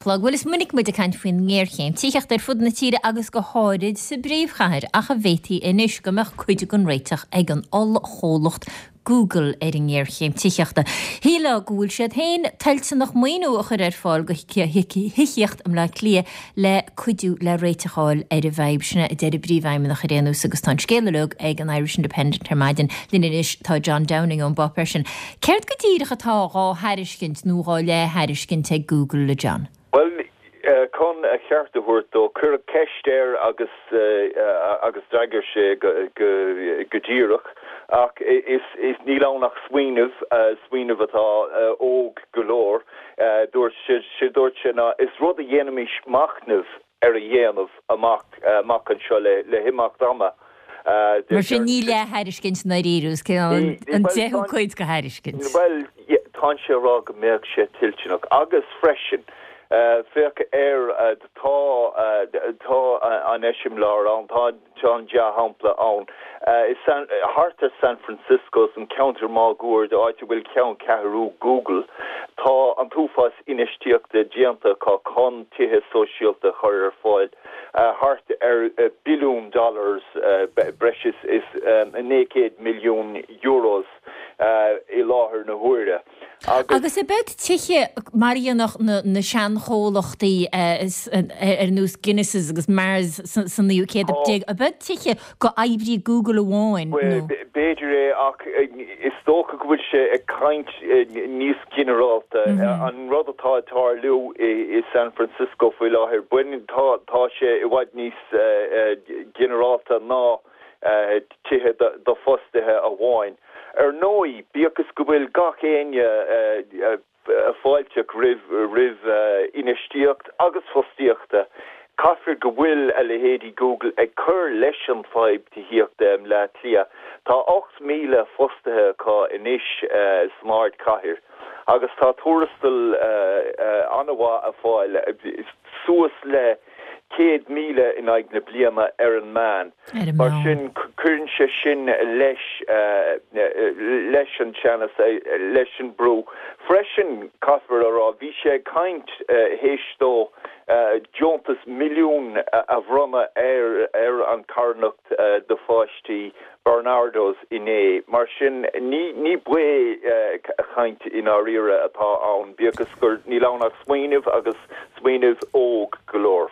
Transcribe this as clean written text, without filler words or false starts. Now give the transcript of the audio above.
Chlog. Bhuel, is minic muid ag caint faoin ngéarchéim tithíochta ar fud na tíre agus go háirid sa bpríomhchathair, ach an bhféadfaí anois go mbeadh cuid den réiteach ag an ollchomhlacht Google ar an ngéarchéim tithíochta. Shílfeá go bhfuil siad féin toilteanach maoiniú a chur ar fáil do thithíocht i mBleá Cliath le cuidiú le réiteach a fháil ar an bhfadhb. Sin é a deir a bpríomhfheidhmeannach ar aon nós agus tá an scéal uilig ag an Irish Independent ar maidin. Linn anois tá John Downing ón bpáipéar sin. Céard go díreach atá dhá thairiscint nó dhá leith-thairiscint ag Google, a John? Bhuel, chun a cheart a thabhairt dó, cuireadh ceist air agus agus d'fhreagair sé go díreach, ach is níl ann ach smaoineamh, smaoineamh atá óg go leor. Dúirt sé, dúirt sé ná is rud a dhéanfaimis machnamh ar a dhéanamh amach amach anseo le himeacht ama. Mar sin ní leath-thairiscint i ndáiríre, is cineál an deichiú cuid de thairiscint. Bhuel, tá sé ag rá go mbeadh sé toilteanach agus freisin, féach ar, tá, tá an eiseamláir ann, tá, Tá an dea-shampla ann. I San, thart ar San Francisco, san ceantar máguaird, áit a bhfuil ceanncheathrú Google, tá an t-uafás infheistíochta déanta acu chun tithe sóisialta a chur ar fáil, thart ar billiún dollars, breis is 900 milliún euros i láthair na huaire. Agus. Agus ab iad tithe mar a dhéanadh na seanchomhlachtaí ar nós Guinness' agus Mars sa naoú céad déag, ab iad tithe do oibrí Google amháin nó? B'fhéidir é ach is dócha go bhfuil sé ag caint níos ginearálta. An rud atá ag tarlú i San Francisco faoi láthair, baineann, tá sé i bhfad níos ginearálta ná tithe do fostaithe amháin. Ar ndóigh, bíodh is go bhfuil gach éinne fáilteach roimh infheistíocht agus fostaíochta, caithfear go bhfuil a leithéidí Google ag cur leis an bhfadhb tithíochta i mBleá Cliath. Tá 8,000 fostaithe acu anois san ardchathair agus tá tuarastal an-mhaith á fáil, suas le 100,000 in aghaidh na bliana ar an meán. Mar sin, cuireann sé sin leis leis an teannas, leis an brú. Freisin, caithfear a rá, bhí sé ag caint théis dó deontas milliún a bhronnadh ar ar an charthanacht do pháistí Barnardo's inné. Mar sin, ní ní baothchaint i ndáiríre atá ann, bíodh is gur níl ann ach smaoineamh agus smaoineamh óg go leor.